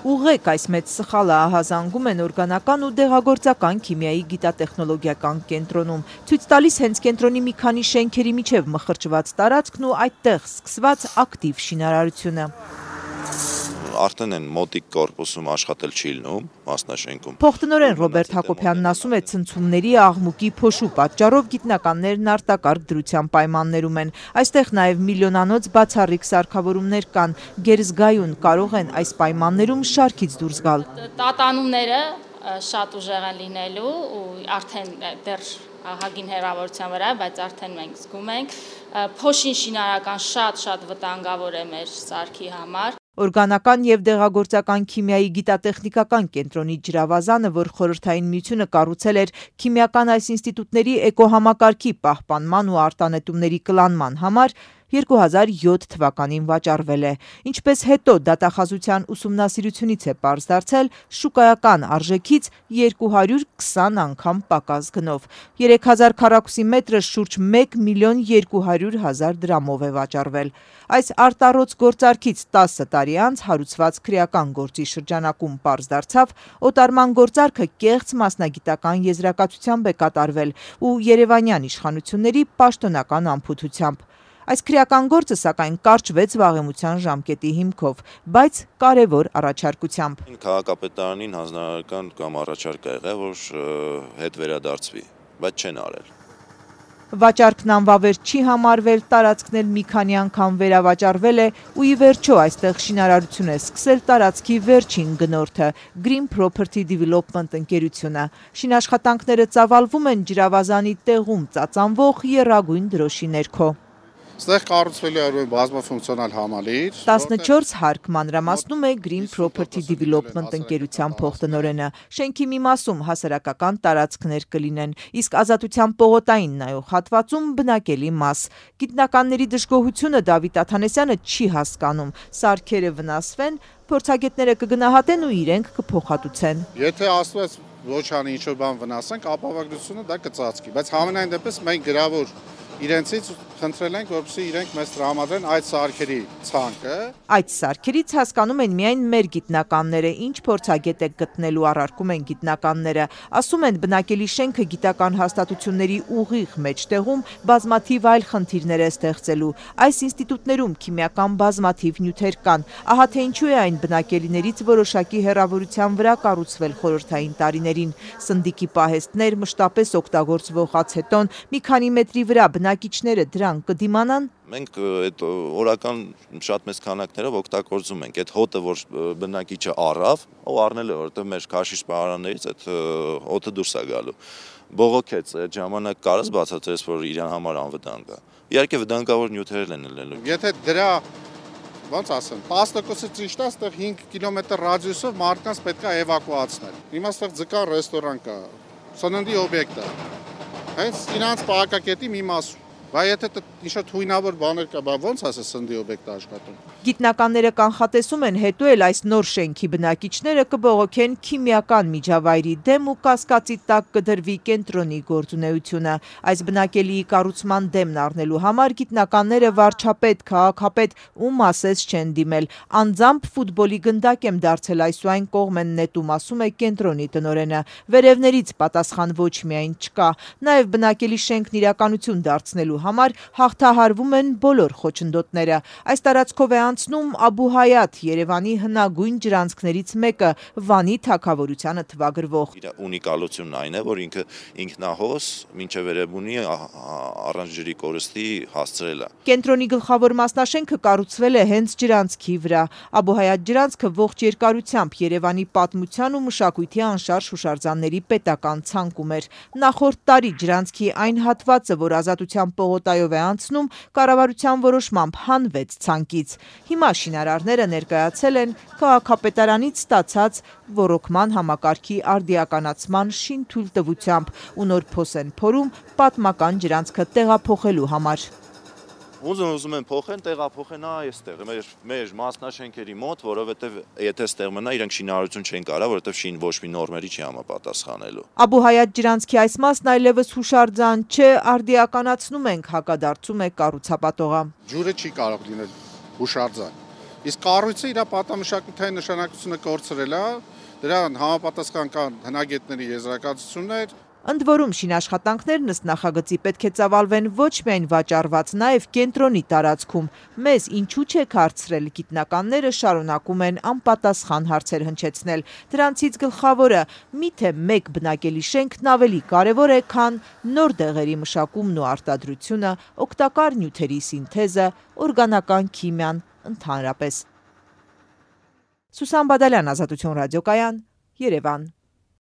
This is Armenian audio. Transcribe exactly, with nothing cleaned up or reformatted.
Ուղղեք այս մեծ սխալը ահազանգում են օրգանական ու դեղագործական քիմիայի գիտատեխնոլոգիական կենտրոնում։ Ցույց տալիս հենց կենտրոնի մի քանի շենքերի միջև մխրճված տարածքն ու այդտեղ սկսված ակտիվ շինարարությունը։ Արդեն են մոտիկ կորպուսում աշխատել չի լինում, մասնաշենքում։ Փոխտնօրեն Ռոբերտ Հակոբյանն ասում է, ցնցումների, աղմուկի, փոշու պատճառով գիտնականներն արտակարգ դրության պայմաններում են։ Այստեղ նաև միլիոնանոց բացառիկ սարքավորումներ կան։ Գերզգայուն կարող են այս պայմաններում շարքից դուրս գալ։ Տատանումները շատ ուժեղ են լինելու ու արդեն դեռ ահագին հեռավորության վրա, բայց արդեն մենք զգում ենք։ Փոշին շինարական շատ-շատ վտանգավոր է մեր սարքի համար։ Օրգանական և դեղագործական քիմիայի գիտատեխնիկական կենտրոնի ջրավազանը, որ Խորհրդային Միությունը կառուցել էր քիմիական այս ինստիտուտների էկոհամակարգի պահպանման ու արտանետումների կլանման համար, երկու հազար յոթ թվականին վաճառվել է։ Ինչպես հետո դատախազության ուսումնասիրությունից է պարզ դարձել, շուկայական արժեքից երկու հարյուր քսան անգամ պակաս գնով։ երեք հազար քառակուսի մետրը շուրջ մեկ միլիոն երկու հարյուր հազար դրամով է վաճառվել։ Այս արտառոց գործարքից տասը տարի անց հարուցված քրեական գործի շրջանակում պարզ դարձավ, օտարման գործարքը կեղծ մասնագիտական եզրակացությամբ է կատարվել ու երևանյան իշխանությունների պաշտոնական անփութությամբ։ Այս քրեական գործը սակայն կարճվեց վաղեմության ժամկետի հիմքով, բայց կարևոր առաջարկությամբ։ Քաղաքապետարանին հանձնարարական կամ առաջարկ ա եղել, որ հետ վերադարձվի, բայց չեն արել։ Վաճառքն անվավեր չի համարվել, տարածքն էլ մի քանի անգամ վերավաճառվել է ու ի վերջո այստեղ շինարարություն է սկսել տարածքի վերջին գնորդը՝ Green Property Development ընկերությունը։ Շինաշխատանքները ծավալվում են ջրավազանի տեղում ծածանվող եռագույն դրոշի ներքո։ Ստեղ կառուցվել է բազմաֆունկցիոնալ համալիր։ տասնչորս հարկ մանրամասնում է Green Property Development ընկերության փոխտնօրենը։ Շենքի մի մասում հասարակական տարածքներ կլինեն, իսկ Ազատության պողոտային նայող հատվածում բնակելի մաս։ Գիտնականների դժգոհությունը Դավիթ Աթանեսյանը չի հասկանում։ Սարքերը վնասվեն, փորձագետները կգնահատեն ու իրենք կփոխհատուցեն։ Եթե ասված ոչ անի ինչ-որ բան վնասենք, ապավարկությունը դա կծածկի, բայց համենայն դեպս մենք գրավոր իրենցից խնդրել ենք, որպեսզի իրենք մեզ տրամադրեն այդ սարքերի ցանկը։ Այդ սարքերից հասկանում են միայն մեր գիտնականները, ինչ փորձագետ է գտնելու առարկում են գիտնականները։ Ասում են, բնակելի շենքը գիտական հաստատությունների ուղիղ մեջտեղում բազմաթիվ այլ խնդիրներ է ստեղծելու։ Այս ինստիտուտներում քիմիական բազմաթիվ նյութեր կան։ Ահա թե ինչու է այն բնակելիներից որոշակի հեռավորության վրա կառուցվել խորհրդային տարիներին։ Սնդիկի պահեստներ, մշտապես օգտագործվող ացետոն, մի քանի մետրի վրա բնակիչները դրան կդիմանան։ Մենք այդ օրական շատ մեծ քանակներով օգտագործում ենք այդ հոտը, որ բնակիչը առավ, ով առնել է, որովհետև մեր քաշի սպառարաններից այդ հոտը դուրս է գալու։ Բողոքեց այդ ժամանակ կարս բացատրես, որ իրան համար անվտանգ է։ Իհարկե վտանգավոր նյութեր են ելնելու։ Եթե դրա ոնց ասեմ, տասը տոկոսը ճիշտ է, այստեղ հինգ կիլոմետր ռադիուսով մարդկանց պետք է էվակուացնել։ Հիմա այստեղ ձկան ռեստորան կա, սննդի օբյեկտ է։ Հենց իրենց պահակակետի մի մասում։ Բայց եթե ինչ-որ թույնավոր բաներ կա, ոնց ասես սննդի օբյեկտ աշխատում։ Գիտնականները կանխատեսում են, հետո էլ այս նոր շենքի բնակիչները կբողոքեն քիմիական միջավայրի դեմ ու կասկածի տակ կդրվի կենտրոնի գործունեությունը։ Այս բնակելիի կառուցման դեմն առնելու համար գիտնականները վարչապետ, քաղաքապետ ու մասես չեն դիմել։ Անձամբ ֆուտբոլի գնդակ եմ դարձել այս ու այն կողմ են նետում, ասում է կենտրոնի տնօրենը։ Վերևներից պատասխան ոչ միայն չկա, նաև բնակելի շենքն իրականություն դարձնելու համար հաղթահարվում են բոլոր խոչընդոտները։ Այս տարածքով է անցնում Աբու Հայաթ, Երևանի հնագույն ջրանցքներից մեկը, Վանի թագավորությանը թվագրվող։ Իր ունիկալությունն այն է, որ ինքը ինքնահոս մինչև Երևանի առանց ջրի կորստի հասցրել է։ Կենտրոնի գլխավոր մասնաշենքը կառուցվել է հենց ջրանցքի վրա։ Աբու Հայաթ ջրանցքը ողջ երկարությամբ Երևանի պատմության ու մշակույթի անշարժ հուշարձանների պետական ցանկում էր։ Նախորդ տարի ջրանցքի այն հատվածը, որ Ազատության պողոտայով է անցնում, կառավարության որոշմամբ հանվեց ցանկից։ Հիմա շինարարները ներկայացել են քաղաքապետարանից ստացած ոռոգման համակարգի արդիականացման շինթույլտվությամբ ու նոր փոս են փորում պատմական ջրանցքը տեղափոխելու համար։ Ուզում ուզում են փոխեն, տեղափոխեն այստեղ, մեր մեր մասնաշենքերի մոտ, որովհետև եթե ստեղ մնա, իրենք շինարարություն չեն կարող, որովհետև շին ոչ մի նորմերի չի համապատասխանելու։ Աբու Հայաթ ջրանցքի այս մասն այլևս հուշարձան չէ, արդիականացնում ենք, հակադարձում է կառուցապատողը։ Ջուրը չի կարող լինել հուշարձան։ Իսկ կառույցը իր պատամշակութային նշանակությունը կորցրել է, դրան համապատասխան կան հնագետների եզրակացություններ։ Ընդ որում շինաշխատանքներն ըստ նախագծի պետք է ծավալվեն ոչ միայն վաճառված, նաև կենտրոնի տարածքում։ Մեզ ինչու չեք հարցրել, գիտնականները շարունակում են անպատասխան հարցեր հնչեցնել։ Դրանցից գլխավորը՝ միթե մեկ բնակելի շենքն ավելի կարևոր է, քան նոր դեղերի մշակումն ու արտադրությունը, օգտակար նյութերի սինթեզը, օրգանական քիմիան ընդհանրապես։ Սուսան Բադալյան, Ազատություն ռադիոկայան, Երևան։